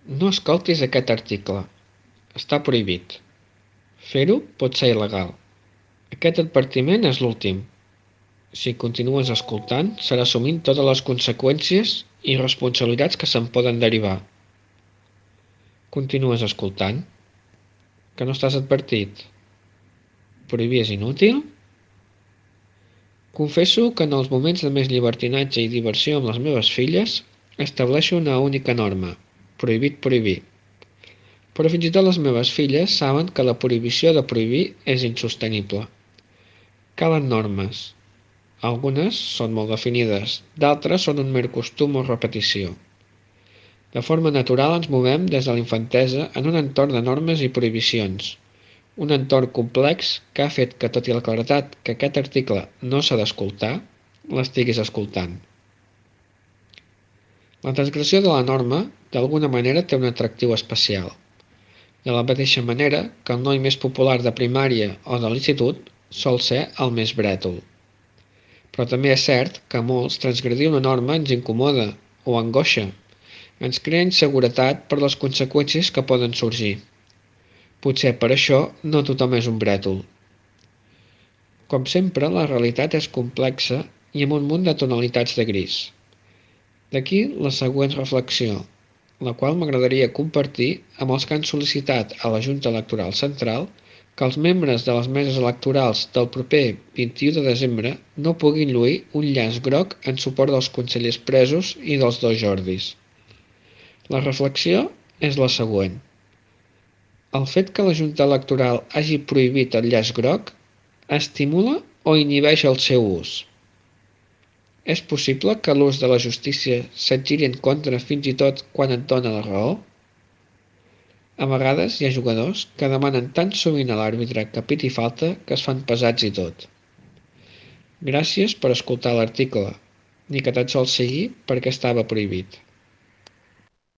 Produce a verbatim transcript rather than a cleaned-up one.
No escoltis aquest article. Està prohibit. Fer-ho pot ser il·legal. Aquest advertiment és l'últim. Si continues escoltant, serà assumint totes les conseqüències i responsabilitats que se'n poden derivar. Continues escoltant? Que no estàs advertit? Prohibir és inútil? Confesso que en els moments de més llibertinatge i diversió amb les meves filles estableixo una única norma: prohibit prohibir. Però fins i tot les meves filles saben que la prohibició de prohibir és insostenible. Calen normes. Algunes són molt definides, d'altres són un mer costum o repetició. De forma natural ens movem des de la infantesa en un entorn de normes i prohibicions, un entorn complex que ha fet que, tot i la claretat que aquest article no s'ha d'escoltar, l'estiguis escoltant. La transgressió de la norma, d'alguna manera, té un atractiu especial. De la mateixa manera que el noi més popular de primària o de l'institut sol ser el més brètol. Però també és cert que a molts transgredir una norma ens incomoda o angoixa, ens crea inseguretat per les conseqüències que poden sorgir. Potser per això no tothom és un brètol. Com sempre, la realitat és complexa i amb un munt de tonalitats de gris. D'aquí la següent reflexió, la qual m'agradaria compartir amb els que han sol·licitat a la Junta Electoral Central que els membres de les meses electorals del proper vint-i-u de desembre no puguin lluir un llaç groc en suport dels consellers presos i dels dos Jordis. La reflexió és la següent. El fet que la Junta Electoral hagi prohibit el llaç groc estimula o inhibeix el seu ús? És possible que l'ús de la justícia se't giri en contra fins i tot quan et dona la raó? A vegades hi ha jugadors que demanen tan sovint a l'àrbitre que piti falta que es fan pesats i tot. Gràcies per escoltar l'article, ni que tan sols sigui perquè estava prohibit.